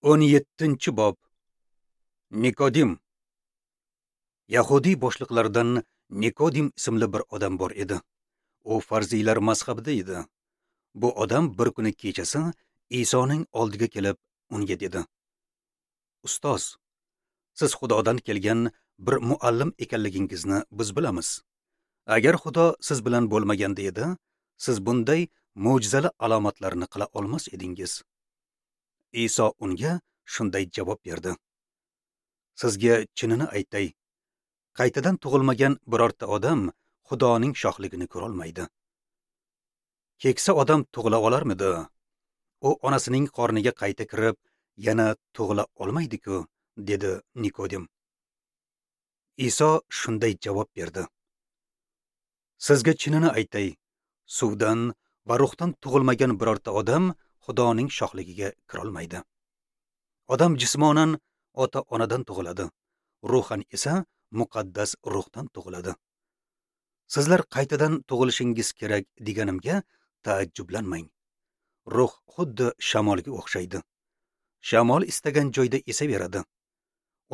17-bob. Nikodim. Yahudiy boshliqlaridan Nikodim ismli bir odam bor edi. U farziylar mazhabida edi. Bu odam bir kuni kechasi Isoning oldiga kelib unga dedi: "Ustoz, siz Xudodan kelgan bir muallim ekanligingizni biz bilamiz. Agar Xudo siz bilan bo'lmaganda edi, siz bunday mo'jizali alomatlarni qila olmas edingiz." Iso unga shunday javob berdi: "Sizga chinini aytay, qaytadan tug'ilmagan birorta odam Xudoning shohligini ko'ra olmaydi. Keksa odam tug'ila olarmidi? U onasining qorniga qayta kirib, yana tug'ila olmaydi-ku", dedi Nikodim. Iso shunday javob berdi: "Sizga chinini aytay, suvdan va ruhdan tug'ilmagan birorta odam Xudoning shohligiga kira olmaydi. Odam jismonan ota-onadan tug'iladi, ruhan esa muqaddas ruhdan tug'iladi. Sizlar qaytadan tug'ilishingiz kerak deganimga taajjublanmang. Ruh xuddi shamolga o'xshaydi. Shamol istagan joyda esaveradi.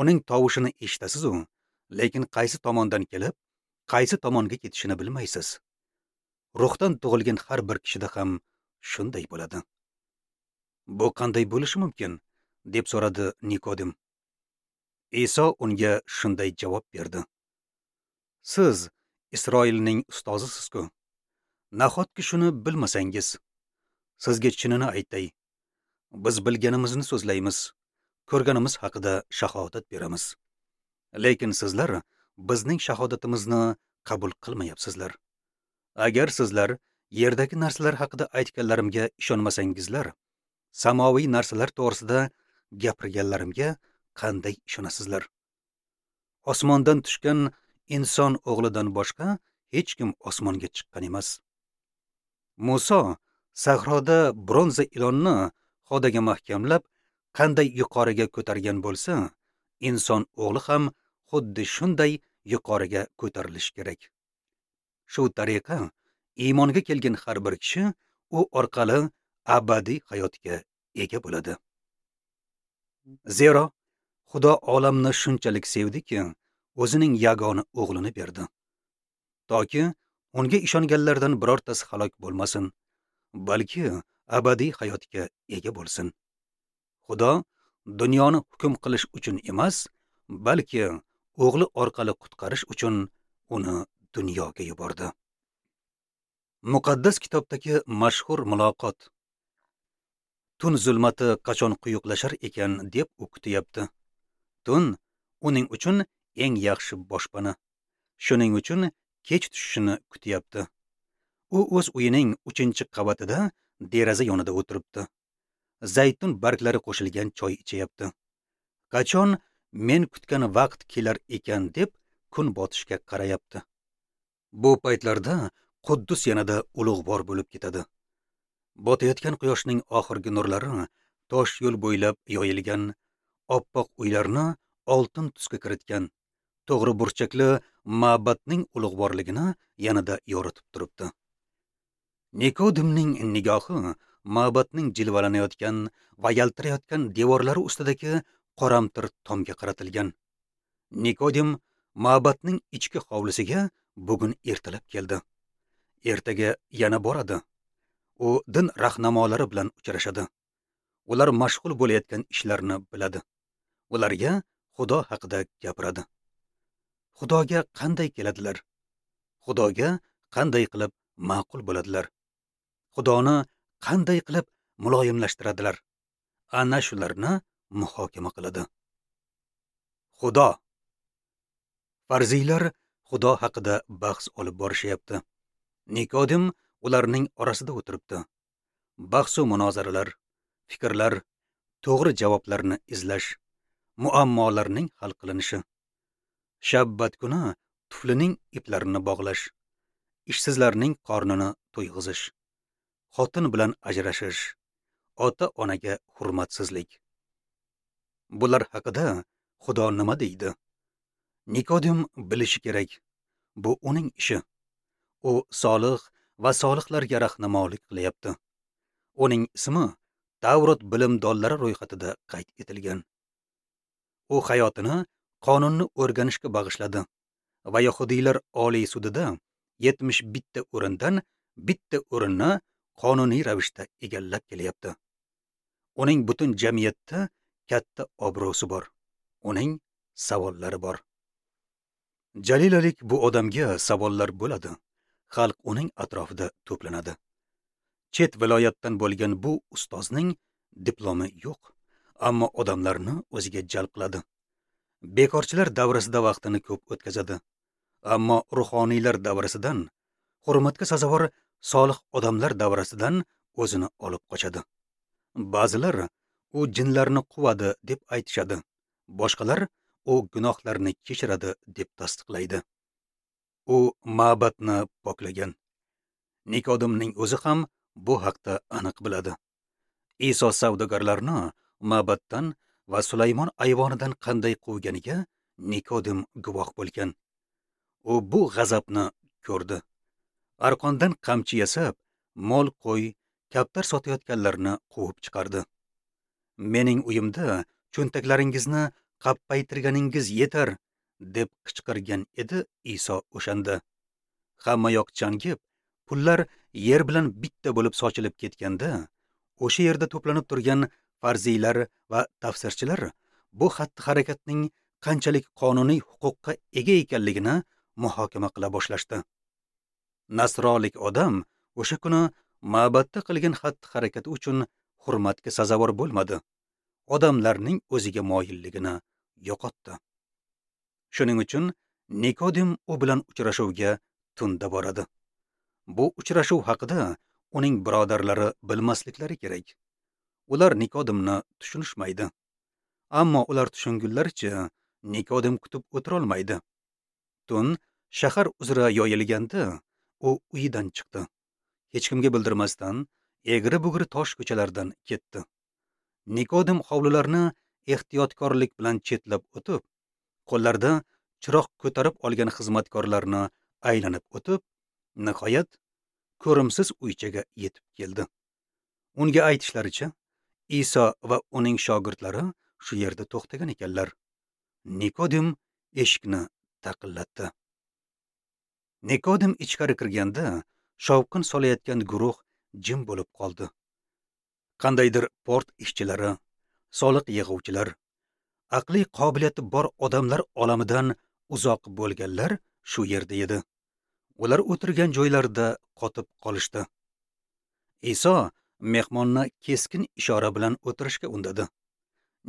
Uning tovushini eshitasiz-u, lekin qaysi tomondan kelib, qaysi tomonga ketishini bilmaysiz. Ruhdan tug'ilgan har bir kishida ham shunday bo'ladi." "Bu qanday bo'lishi mumkin?" deb so'radi Nikodim. Iso unga shunday javob berdi: "Siz Isroilning ustozisiz-ku. Nahotki shuni bilmasangiz? Sizga chinini aytay, biz bilganimizni so'zlaymiz, ko'rganimiz haqida shahodat beramiz. Lekin sizlar bizning shahodatimizni qabul qilmayapsizlar. Agar sizlar yerdagi narsalar haqida aytganlarimga ishonmasangizlar, samoviy narsalar to'g'risida gapirganlarimga qanday ishonasizlar? Osmondan tushgan inson o'g'lidan boshqa hech kim osmonga chiqqan emas. Muso sahroda bronza ilonni xodaga mahkamlab qanday yuqoriga ko'targan bo'lsa, inson o'g'li ham xuddi shunday yuqoriga ko'tarilishi kerak. Shu tariqa iymonga kelgan har bir kishi u orqali abadiy hayotga ega bo'ladi. Zero Xudo olamni shunchalik sevdiki, o'zining yagona o'g'lini berdi, toki unga ishonganlardan birortasi halok bo'lmasin, balki abadiy hayotga ega bo'lsin. Xudo dunyoni hukm qilish uchun emas, balki o'g'li orqali qutqarish uchun uni dunyoga yubordi." Muqaddas kitobdagi mashhur muloqot. Tun zulmati qachon quyuqlashar ekan deb u kutyapti. Tun uning uchun eng yaxshi boshpana. Shuning uchun kech tushishini kutyapti. U o'z uyining 3-qavatida deraza yonida o'tiribdi. Zaytun barglari qo'shilgan choy ichyapti. Qachon men kutgan vaqt kelar ekan deb kun botishga qarayapti. Bu paytlarda Quddus yanada ulug'vor bo'lib ketadi. Botayotgan quyoshning oxirgi nurlari tosh yo'l bo'ylab yoyilgan oppoq uylarni oltin tusga kiritgan to'g'ri burchakli ma'badning ulug'vorligini yanada yoritib turibdi. Nikodimning nigohi ma'badning jilvalanayotgan va yaltirayotgan devorlari ustidagi qoramtir tomga qaratilgan. Nikodim ma'badning ichki hovlisiga bugun ertalab keldi. Ertaga yana boradi. U din rahnamolari bilan uchrashadi. Ular mashg'ul bo'layotgan ishlarni biladi. Ularga Xudo haqida gapiradi. Xudoga qanday keladilar? Xudoga qanday qilib ma'qul bo'ladilar? Xudoni qanday qilib muloyimlashtiradilar? Ana shularni muhokama qiladi. Xudo. Farziylar Xudo haqida bahs olib borishyapti. Nikodim ularning orasida o'tiribdi. Bahs u munozaralar, fikrlar, to'g'ri javoblarni izlash, muammolarning hal qilinishi. Shabbat kuni tuflining iplarini bog'lash, ishsizlarning qornini to'yg'izish, xotin bilan ajrashish, ota-onaga hurmatsizlik. Bular haqida Xudo nima deydi? Nikodim bilishi kerak. Bu uning ishi. U solih va solihlarga rahnamolik qilyapti. Uning ismi Tavrot bilimdonlari ro'yxatida qayd etilgan. U hayotini qonunni o'rganishga bag'ishladi va yahudiylar oliy sudida 71 o'rindan bitta o'rinni qonuniy ravishda egallab kelyapti. Uning butun jamiyatda katta obro'si bor. Uning savollari bor. Jalilalik bu odamga savollar bo'ladi. Xalq uning atrofida to'planadi. Chet viloyatdan bo'lgan bu ustozning diplomi yo'q, ammo odamlarni o'ziga jalb qiladi. Bekorchilar davrasida vaqtini ko'p o'tkazadi. Ammo ruhoniylar davrasidan, hurmatga sazovor solih odamlar davrasidan o'zini olib qochadi. Ba'zilar u jinlarni quvadi deb aytishadi. Boshqalar u gunohlarni kechiradi deb tasdiqlaydi. U ma'batni poklagan. Nikodimning o'zi ham bu haqda aniq biladi. Iso savdogarlarni ma'batdan va Sulaymon ayvonidan qanday quvganiga Nikodim guvoh bo'lgan. U bu g'azabni ko'rdi. Arqondan qamchi yasab, mol qo'y, kaptar sotayotganlarni quvib chiqardi. Mening uyimda cho'ntaklaringizni qappaytirganingiz yetar, deb qichqirgan edi Iso o'shanda. Hamma yoq changib, pullar yer bilan bitta bo'lib sochilib ketganda, o'sha yerda to'planib turgan farziylar va tafsirchilar bu xatti-harakatning qanchalik qonuniy huquqqa ega ekanligini muhokama qila boshlashdi. Nasrolik odam o'sha kuni ma'batda qilgan xatti-harakati uchun hurmatga sazovor bo'lmadi. Odamlarning o'ziga moyilligini yo'qotdi. Shuning uchun Nikodim u bilan uchrashuvga tunda boradi. Bu uchrashuv haqida uning birodarlari bilmasliklari kerak. Ular Nikodimni tushunishmaydi. Ammo ular tushungunlaricha Nikodim kutib o'tirolmaydi. Tun shahar uzra yoyilganda u uyidan chiqdi. Hech kimga bildirmasdan egri-bugri tosh ko'chalardan ketdi. Nikodim hovlilarni ehtiyotkorlik bilan chetlab o'tib, qo'llarida chiroq ko'tarib olgan xizmatkorlarni aylanib o'tib, nihoyat ko'rimsiz uychaga yetib keldi. Unga aytishlaricha, Iso va uning shogirdlari shu yerda to'xtagan ekanlar. Nikodim eshikni taqillatdi. Nikodim ichkari kirganda shovqin solayotgan guruh jim bo'lib qoldi. Qandaydir port ishchilari, soliq yig'uvchilar, aqliy qobiliyati bor odamlar olamidan uzoq bo'lganlar shu yerda edi. Ular o'tirgan joylarida qotib qolishdi. Iso mehmonni keskin ishora bilan o'tirishga undadi.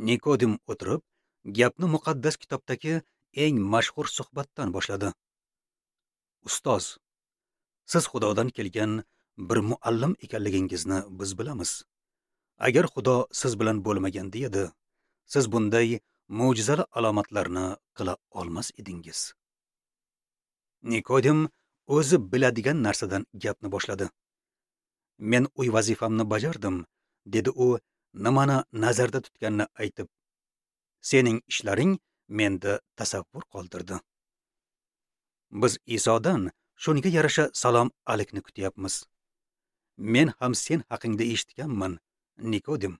Nikodim o'tirib, gapni muqaddas kitobdagi eng mashhur suhbatdan boshladi. Ustoz, siz Xudodan kelgan bir muallim ekanligingizni biz bilamiz. Agar Xudo siz bilan bo'lmaganda edi, siz bunday mo'jizali alomatlarni qila olmas edingiz. Nikodim o'zi biladigan narsadan gapni boshladi. Men uy vazifamni bajardim, dedi u nimani nazarda tutganini aytib. Sening ishlaring menda tasavvur qoldirdi. Biz Isodan shunga yarasha salom alikni kutyapmiz. Men ham sen haqingda eshitganman, Nikodim.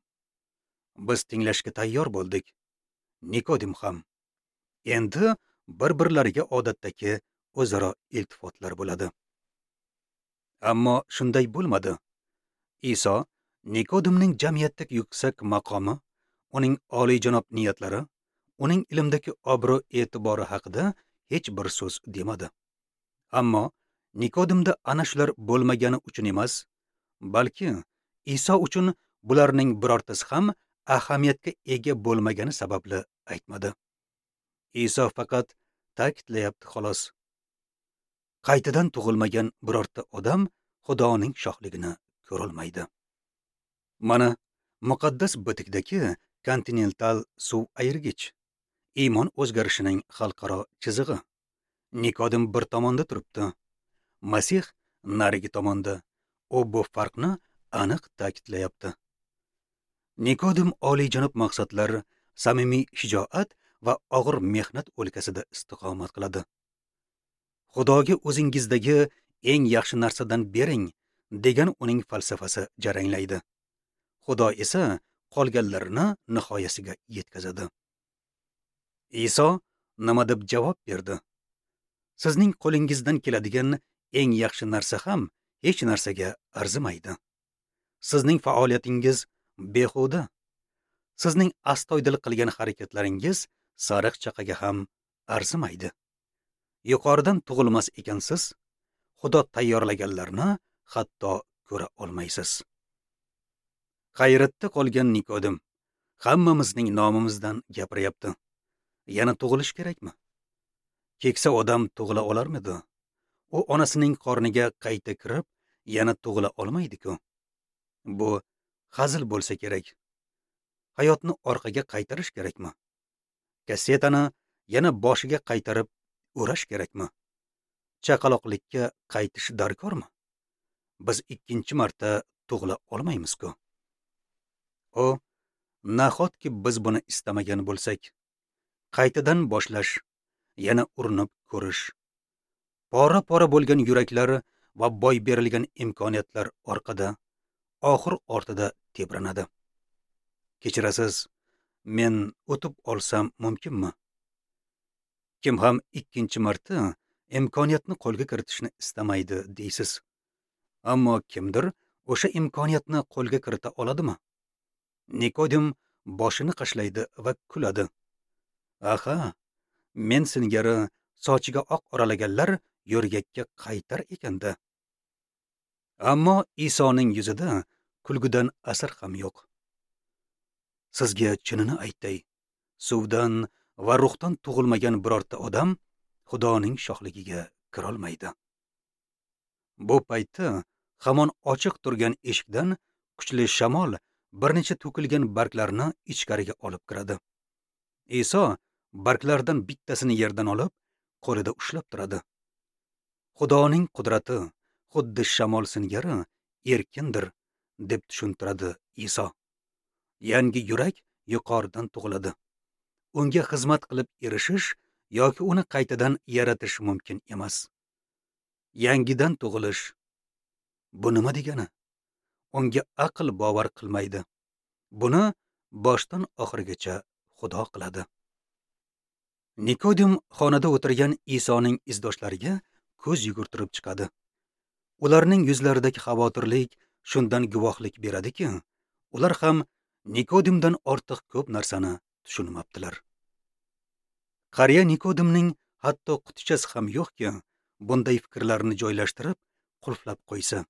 Biz tinglashga tayyor bo'ldik. Nikodim ham. Endi bir-birlariga odatdagi o'zaro iltifotlar bo'ladi. Ammo shunday bo'lmadi. Iso Nikodimning jamiyatdagi yuksak maqomi, uning oliyjanob niyatlari, uning ilmdagi obro'-e'tibori haqida hech bir so'z demadi. Ammo Nikodimda ana shular bo'lmagani uchun emas, balki Iso uchun bularning birortasi ham ahamiyatga ega bo'lmagani sababli aytmadi. Iso faqat ta'kidlayapti xolos. Qaytadan tug'ilmagan birorta odam Xudoning shohligini ko'rolmaydi. Mana muqaddas bitikdagi kontinental suv ayirgich, iymon o'zgarishining xalqaro chizig'i. Nikodim bir tomonda turibdi, Masih narigi tomonda. U bu farqni aniq ta'kidlayapti. Nikodim oliyjanob maqsadlar, samimiy shijoat va og'ir mehnat o'lkasida istiqomat qiladi. Xudoga o'zingizdagi eng yaxshi narsadan bering degan uning falsafasi jaranglaydi. Xudo esa qolganlarini nihoyasiga yetkazadi. Iso nima deb javob berdi? Sizning qo'lingizdan keladigan eng yaxshi narsa ham hech narsaga arzimaydi. Sizning faoliyatingiz behuda. Sizning astoydil qilgan harakatlaringiz sariq chaqaga ham arzimaydi. Yuqoridan tug'ilmas ekansiz, Xudo tayyorlaganlarni hatto ko'ra olmaysiz. Hayratda qolgan Nikodim hammamizning nomimizdan gapiryapti. Yana tug'ilish kerakmi? Keksa odam tug'ila olarmidi? U onasining qorniga qayta kirib, yana tug'ila olmaydi-ku. Bu hazil bo'lsa kerak. Hayotni orqaga qaytarish kerakmi? Kassetani yana boshiga qaytarib o'rash kerakmi? Chaqaloqlikka qaytish darkormi? Biz ikkinchi marta tug'ila olmaymiz-ku. O, nahotki biz buni istamagan bo'lsak? Qaytadan boshlash, yana urinib ko'rish. Pora-pora bo'lgan yuraklar va boy berilgan imkoniyatlar orqada, oxir ortida tebranadi. Kechirasiz, men o'tib olsam mumkinmi? Kim ham ikkinchi marta imkoniyatni qo'lga kiritishni istamaydi deysiz. Ammo kimdir o'sha imkoniyatni qo'lga kirita oladimi? Nikodim boshini qashlaydi va kuladi. Aha, men singari sochiga oq oralaganlar yo'rgakka qaytar ekanda. Ammo Isoning yuzida kulgudan asar ham yo'q. Sizga chinini aytay, suvdan va ruhdan tug'ilmagan birorta odam Xudoning shohligiga kirolmaydi. Bu paytda hamon ochiq turgan eshikdan kuchli shamol bir necha to'kilgan barglarni ichkariga olib kiradi. Iso barglardan bittasini yerdan olib, qo'lida ushlab turadi. Xudoning qudrati xuddi shamol singari erkindir, deb tushuntiradi Iso. Yangi yurak yuqoridan tug'iladi. Unga xizmat qilib erishish yoki uni qaytadan yaratish mumkin emas. Yangidan tug'ilish bu nima degani? Unga aql bovar qilmaydi. Buni boshdan oxirigacha Xudo qiladi. Nikodim xonada o'tirgan Isoning izdoshlariga ko'z yugurtirib chiqadi. Ularning yuzlaridagi xavotirlik shundan guvohlik beradiki, ular ham Nikodimdan ortiq ko'p narsani tushunmabdilar. Qariya Nikodimning hatto qutichasi ham yo'qki, bunday fikrlarni joylashtirib, qulflab qo'ysa.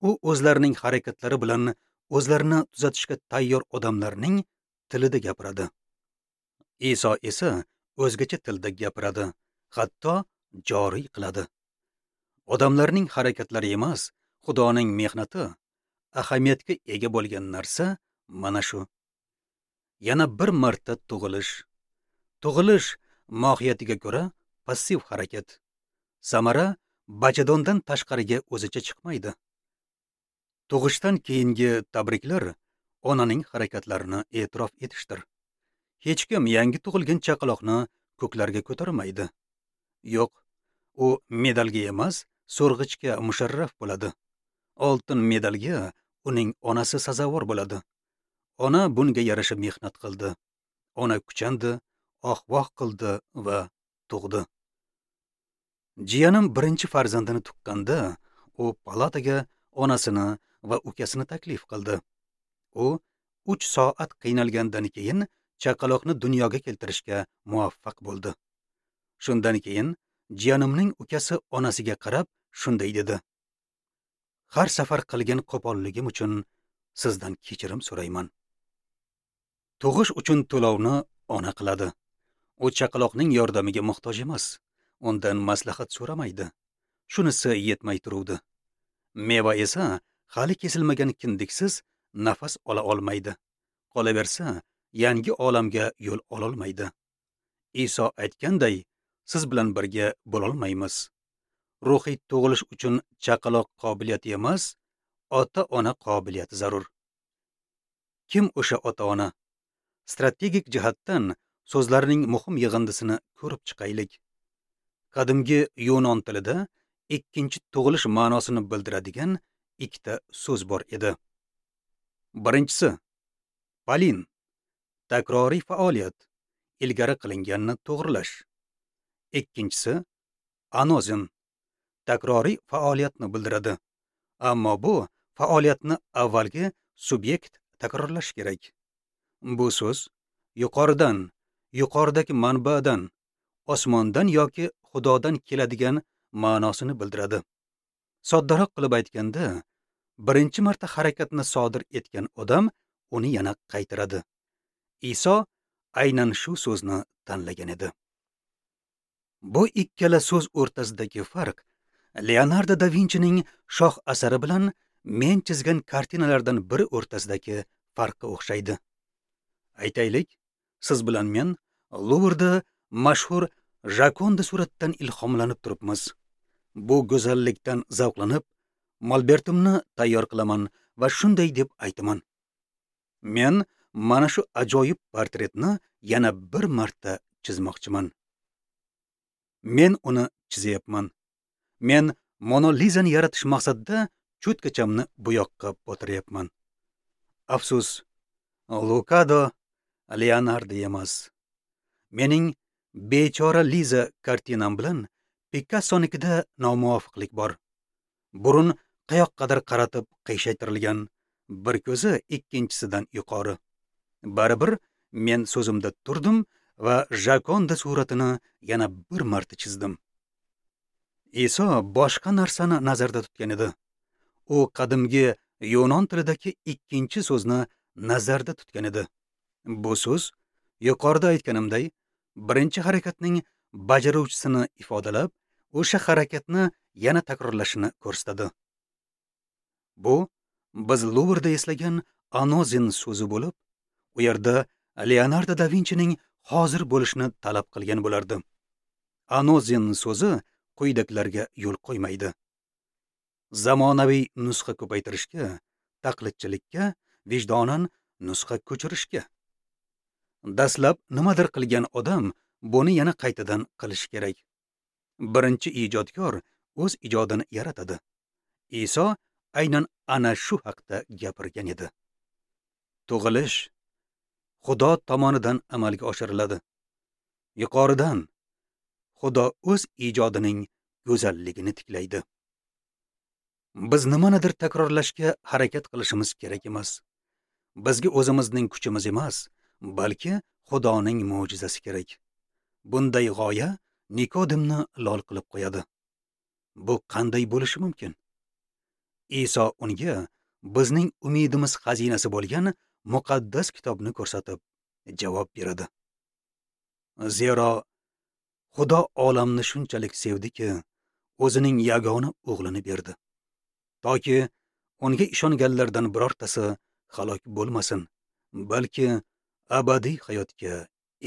U o'zlarining harakatlari bilan o'zlarini tuzatishga tayyor odamlarning tilida gapiradi. Iso esa o'zgacha tilda gapiradi, hatto joriy qiladi. Odamlarning harakatlari emas, Xudoning mehnati ahamiyatga ega bo'lgan narsa mana shu. Yana bir marta tug'ilish. Tug'ilish mohiyatiga ko'ra passiv harakat. Samara bachadondan tashqariga o'zicha chiqmaydi. Tug'ishdan keyingi tabriklar onaning harakatlarini e'tirof etishdir. Hech kim yangi tug'ilgan chaqaloqni ko'klarga ko'tarmaydi. Yo'q, u medalga emas, so'rg'ichga musharraf bo'ladi. Oltin medalga uning onasi sazovor bo'ladi. Ona bunga yarasha mehnat qildi. Ona kuchandi, oh-voh qildi va tug'di. Jiyanim birinchi farzandini tuqqanda, u palataga onasini va ukasini taklif qildi. U 3 soat qiynalgandan keyin chaqaloqni dunyoga keltirishga muvaffaq bo'ldi. Shundan keyin jiyanimning ukasi onasiga qarab shunday dedi: Har safar qilgan qo'polligim uchun sizdan kechirim so'rayman. Tug'ish uchun to'lovni ona qiladi. U chaqaloqning yordamiga muhtoj emas, undan maslahat so'ramaydi. Shunisi yetmay turuvdi. Meva esa hali kesilmagan kindiksiz nafas ola olmaydi. Qolaversa, yangi olamga yo'l ololmaydi. Iso aytganday, siz bilan birga bo'lolmaymiz. Ruhiy tug'ilish uchun chaqaloq qobiliyati emas, ota-ona qobiliyati zarur. Kim o'sha ota-ona? Strategik jihatdan so'zlarning muhim yig'indisini ko'rib chiqaylik. Qadimgi yunon tilida ikkinchi tug'ilish ma'nosini bildiradigan ikkita so'z bor edi. Birinchisi palin, takroriy faoliyat, ilgari qilinganni to'g'rilash. Ikkinchisi anozin, takroriy faoliyatni bildiradi. Ammo bu faoliyatni avvalgi subyekt takrorlash kerak. Bu so'z yuqoridan, yuqoridagi manbadan, osmondan yoki Xudodan keladigan ma'nosini bildiradi. Soddaroq qilib aytganda, birinchi marta harakatni sodir etgan odam uni yana qaytaradi. Iso aynan shu so'zni tanlagan edi. Bu ikkala so'z o'rtasidagi farq Leonardo da Vinchining shoh asari bilan men chizgan kartinalardan biri o'rtasidagi farqqa o'xshaydi. Aytaylik, siz bilan men Luvrda mashhur Jokonda suratdan ilhomlanib turibmiz. Bu go'zallikdan zavqlanib, molbertimni tayyor qilaman va shunday deb aytaman: men mana shu ajoyib portretni yana bir marta chizmoqchiman. Men uni chizyapman. Men Mona Lizani yaratish maqsadida cho'tkachamni bo'yoqqa botiryapman. Afsus, Lukado Leonardo emas. Mening bechora Liza kartinam bilan Pikassonikida nomuvofiqlik bor. Burun qayoqqadir qaratib qiyshaytirilgan, bir ko'zi ikkinchisidan yuqori. Baribir men so'zimda turdim va Jokonda suratini yana bir marta chizdim. Iso boshqa narsani nazarda tutgan edi. U qadimgi yunon tilidagi ikkinchi so'zni nazarda tutgan edi. Bu so'z yuqorida aytganimday birinchi harakatning bajaruvchisini ifodalab, o'sha harakatni yana takrorlashini ko'rsatadi. Bu biz Luvrda eslagan anozin so'zi bo'lib, u yerda Leonardo da Vinchining hozir bo'lishini talab qilgan bo'lardi. Anozin so'zi quyidagilarga yo'l qo'ymaydi: zamonaviy nusxa ko'paytirishga, taqlidchilikka, vijdonan nusxa ko'chirishga. Dastlab nimadir qilgan odam buni yana qaytadan qilishi kerak. Birinchi ijodkor o'z ijodini yaratadi. Iso aynan ana shu haqda gapirgan edi. Tug'ilish Xudo tomonidan amalga oshiriladi. Yuqoridan Xudo o'z ijodining go'zalligini tiklaydi. Biz nimanidir takrorlashga harakat qilishimiz kerak emas. Bizga o'zimizning kuchimiz emas, balki Xudoning mo'jizasi kerak. Bunday g'oya Nikodimni lol qilib qo'yadi. Bu qanday bo'lishi mumkin? Iso unga bizning umidimiz xazinasi bo'lgan muqaddas kitobni ko'rsatib javob beradi. Zero Xudo olamni shunchalik sevdiki, o'zining yagona o'g'lini berdi, toki unga ishonganlardan birortasi halok bo'lmasin, balki abadiy hayotga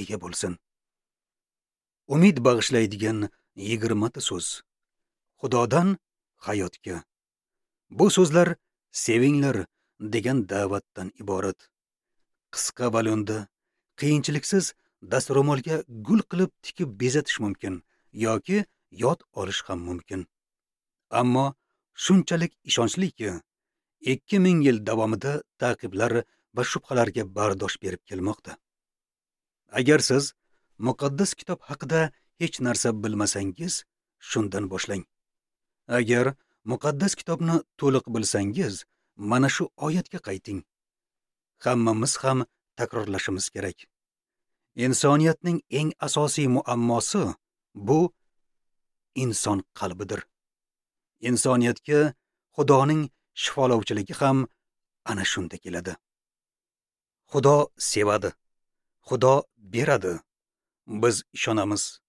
ega bo'lsin. Umid bag'ishlaydigan 20 ta so'z. Xudodan hayotga. Bu so'zlar sevinglar degan da'vatdan iborat. Qisqa va lo'nda, qiyinchiliksiz dastro'molga gul qilib tikib bezatish mumkin yoki yod olish ham mumkin. Ammo shunchalik ishonchliki, 2000 yil davomida ta'qiblar va shubhalarga bardosh berib kelmoqda. Agar siz muqaddas kitob haqida hech narsa bilmasangiz, shundan boshlang. Agar muqaddas kitobni to'liq bilsangiz, mana shu oyatga qayting. Hammamiz ham takrorlashimiz kerak. Insoniyatning eng asosiy muammosi bu inson qalbidir. Insoniyatga Xudoning shifolovchiligi ham ana shunda keladi. Xudo sevadi. Xudo beradi. Biz ishonamiz.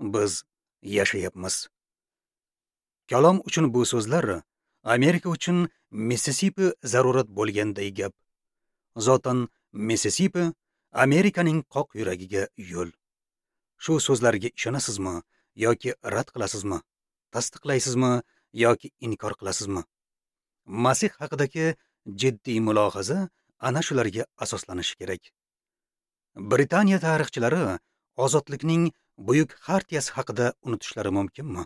Biz yashayapmiz. Kalom uchun bu so'zlar Amerika uchun Mississippi zarurat bo'lganday gap. Zotan Mississippi Amerikaning qoq yuragiga yo'l. Shu so'zlarga ishonasizmi yoki rad qilasizmi? Tasdiqlaysizmi yoki inkor qilasizmi? Masih haqidagi jiddiy mulohaza ana shularga asoslanishi kerak. Britaniya tarixchilari ozodlikning buyuk xartiyasi haqida unutishlari mumkinmi?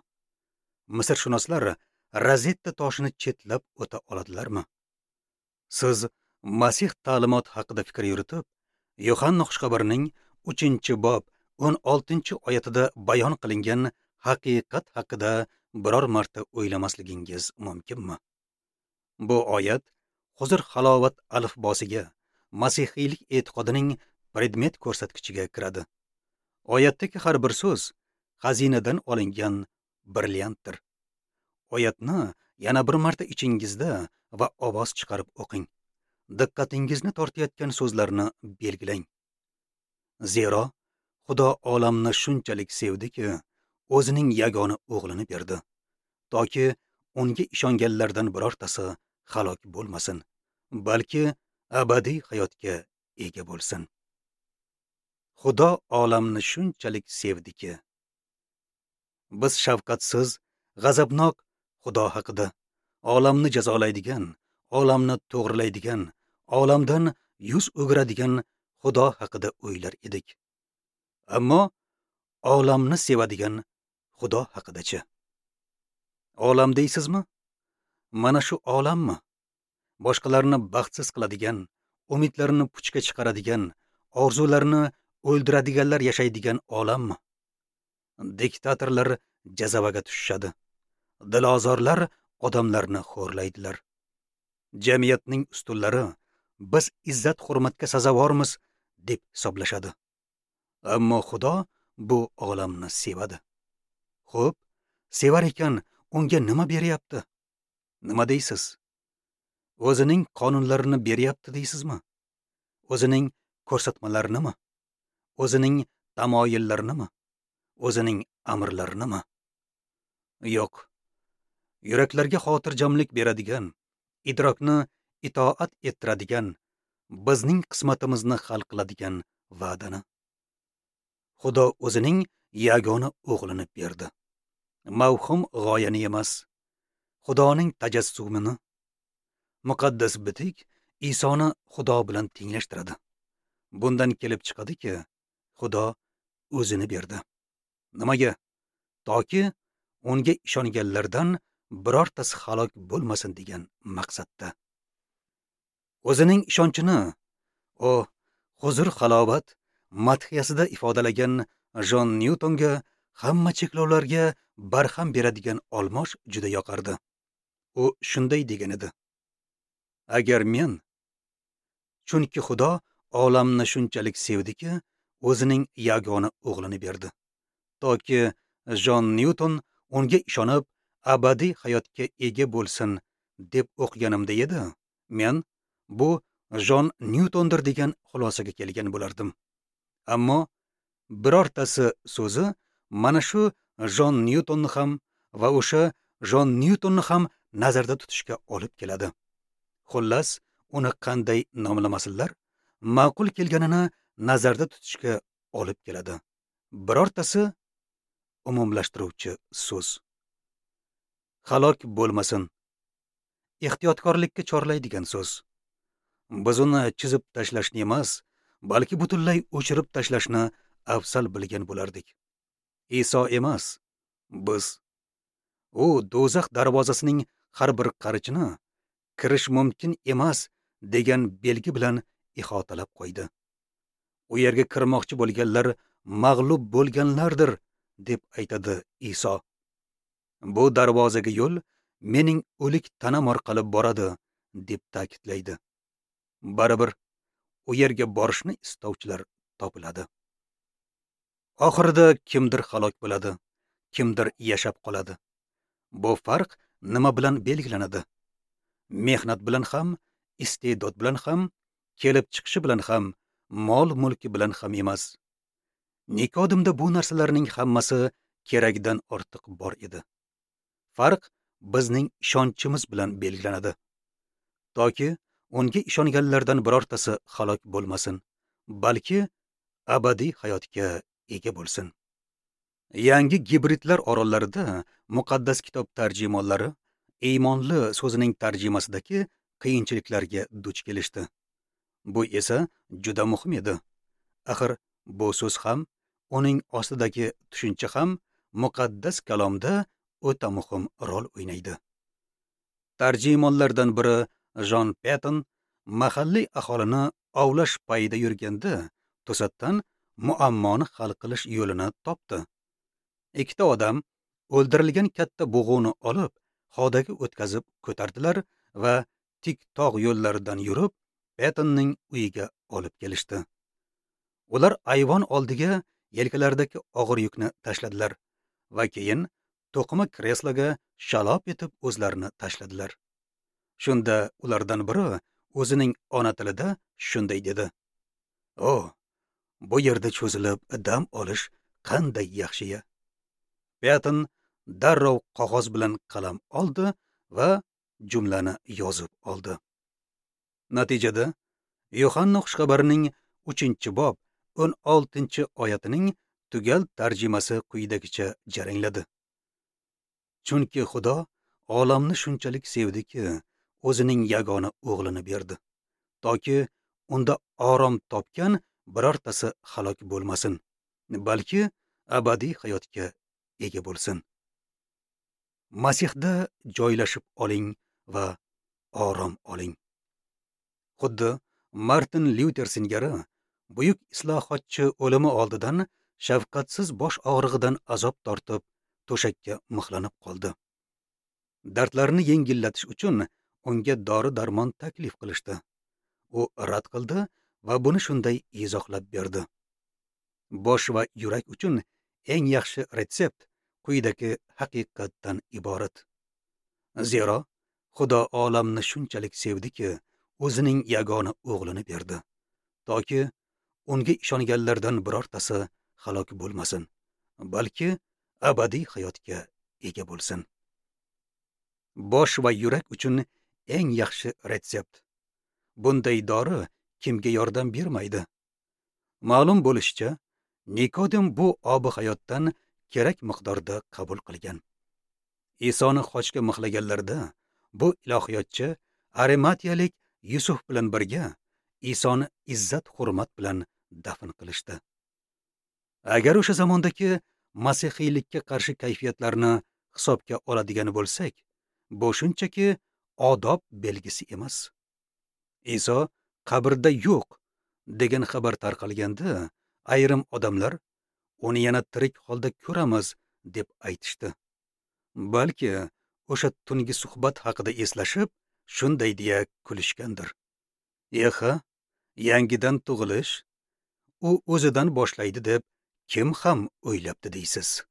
Misrshunoslar Rozetta toshini chetlab o'ta oladilarmi? Siz Masih ta'limoti haqida fikr yuritib, Yohanna xushxabarining 3-bob 16-oyatida bayon qilingan haqiqat haqida biror marta o'ylamasligingiz mumkinmi? Bu oyat huzur halovat alifbosiga, masihiylik e'tiqodining predmet ko'rsatkichiga kiradi. Oyatdagi har bir so'z xazinadan olingan brilliantdir. Oyatni yana bir marta ichingizda va ovoz chiqarib o'qing. Diqqatingizni tortayotgan so'zlarni belgilang. Zero Xudo olamni shunchalik sevdiki, o'zining yagona o'g'lini berdi, toki unga ishonganlardan birortasi halok bo'lmasin, balki abadiy hayotga ega bo'lsin. Xudo olamni shunchalik sevdiki. Biz shafqatsiz, g'azabnok Xudo haqida, olamni jazolaydigan, olamni to'g'rilaydigan, olamdan yuz o'giradigan Xudo haqida o'ylar edik. Ammo olamni sevadigan Xudo haqidachi? Olam deysizmi? Mana shu olammi? Boshqalarni baxtsiz qiladigan, umidlarini puchga chiqaradigan, orzularini o'ldiradiganlar yashaydigan olammi? Diktatorlar jazavaga tushishadi. Dilozorlar odamlarni xo'rlaydilar. Jamiyatning ustunlari biz izzat hurmatga sazovormiz deb hisoblashadi. Ammo Xudo bu olamni sevadi. Xo'p, sevar ekan, unga nima beryapti? Nima deysiz? O'zining qonunlarini beryapti deysizmi? O'zining ko'rsatmalarinimi? O'zining tamoyillarinimi? O'zining amrlarinimi? Yo'q. Yuraklarga xotirjamlik beradigan, idrokni itoat ettiradigan, bizning qismatimizni hal qiladigan va'dani. Xudo o'zining yagona o'g'lini berdi. Mavhum g'oyani emas, Xudoning tajassumini. Muqaddas bitik Isoni Xudo bilan tenglashtiradi. Bundan kelib chiqadiki, Xudo o'zini berdi. Nimaga? Toki unga ishonganlardan birortasi halok bo'lmasin degan maqsadda. O'zining ishonchini o huzur halovat madhiyasida ifodalagan Jon Nyutonga hamma cheklovlarga barham beradigan olmosh juda yoqardi. U shunday degan edi: agar men, chunki Xudo olamni shunchalik sevdiki, o'zining yagona o'g'lini berdi, toki Jon Nyuton unga ishonib abadiy hayotga ega bo'lsin deb o'qiganimda edi, men bu Jon Nyutondir degan xulosaga kelgan bo'lardim. Ammo birortasi so'zi mana shu Jon Nyutonni ham va o'sha Jon Nyutonni ham nazarda tutishga olib keladi. Xullas, uni qanday nomlamasinlar, ma'qul kelganini nazarda tutishga olib keladi. Birortasi umumlashtiruvchi so'z. Halok bo'lmasin. Ehtiyotkorlikka chorlaydigan so'z. Biz uni chizib tashlashni emas, balki butunlay o'chirib tashlashni afzal bilgan bo'lardik. Iso emas, biz. U do'zax darvozasining har bir qarichini kirish mumkin emas degan belgi bilan ihotalab qo'ydi. U yerga kirmoqchi bo'lganlar mag'lub bo'lganlardir deb aytadi Iso. Bu darvozaga yo'l mening o'lik tanam orqali boradi deb ta'kidlaydi. Baribir u yerga borishni istovchilar topiladi. Oxirida kimdir halok bo'ladi, kimdir yashab qoladi. Bu farq nima bilan belgilanadi? Mehnat bilan ham, iste'dod bilan ham, kelib chiqishi bilan ham, mol mulki bilan ham emas. Nikodimda bu narsalarning hammasi keragidan ortiq bor edi. Farq bizning ishonchimiz bilan belgilanadi. Toki unga ishonganlardan birortasi halok bo'lmasin, balki abadiy hayotga ega bo'lsin. Yangi gibridlar orollarida muqaddas kitob tarjimonlari iymonli so'zining tarjimasidagi qiyinchiliklarga duch kelishdi. Bu esa juda muhim edi. Axir bu so'z ham, uning ostidagi tushuncha ham muqaddas kalomda o'ta muhim rol o'ynaydi. Tarjimonlardan biri Jon Patton mahalliy aholini ovlash payida yurganda to'satdan muammoni hal qilish yo'lini topdi. Ikkita odam o'ldirilgan katta bug'uni olib, xodaga o'tkazib ko'tardilar va tik tog' yo'llaridan yurib, Pattonning uyiga olib kelishdi. Ular ayvon oldiga yelkalaridagi og'ir yukni tashladilar va keyin to'qima kresloga shalop etib o'zlarini tashladilar. Shunda ulardan biri o'zining ona tilida shunday dedi: "O, bu yerda cho'zilib dam olish qanday yaxshi-ya!" Patton darrov qog'oz bilan qalam oldi va jumlani yozib oldi. Natijada Yohanna xushxabarining 3-bob 16-oyatining tugal tarjimasi quyidagicha jarangladi: Chunki Xudo olamni shunchalik sevdiki, o'zining yagona o'g'lini berdi, toki unda orom topgan birortasi halok bo'lmasin, balki abadiy hayotga ega bo'lsin. Masihda joylashib oling va orom oling. Xuddi Martin Lyuter singari buyuk islohotchi o'limi oldidan shafqatsiz bosh og'rig'idan azob tortib, to'shakka mixlanib qoldi. Dardlarini yengillatish uchun unga dori-darmon taklif qilishdi. U rad qildi va buni shunday izohlab berdi: Bosh va yurak uchun eng yaxshi retsept quyidagi haqiqatdan iborat. Zero Xudo olamni shunchalik sevdiki, o'zining yagona o'g'lini berdi, toki unga ishonganlardan birortasi halok bo'lmasin, balki abadiy hayotga ega bo'lsin. Bosh va yurak uchun eng yaxshi retsept. Bunday dori kimga yordam bermaydi? Ma'lum bo'lishicha, Nikodim bu obi hayotdan kerak miqdorda qabul qilgan. Isoni xochga mixlaganlarida bu ilohiyotchi Arimatiyalik Yusuf bilan birga Isoni izzat hurmat bilan dafn qilishdi. Agar o'sha zamondagi masihiylikka qarshi kayfiyatlarni hisobga oladigan bo'lsak, bu shunchaki odob belgisi emas. Iso qabrda yo'q degan xabar tarqalganda, ayrim odamlar uni yana tirik holda ko'ramiz deb aytishdi. Balki o'sha tungi suhbat haqida eslashib, shunday deya kulishgandir: "Eha, yangidan tug'ilish u o'zidan boshlaydi deb kim ham o'ylabdi deysiz?"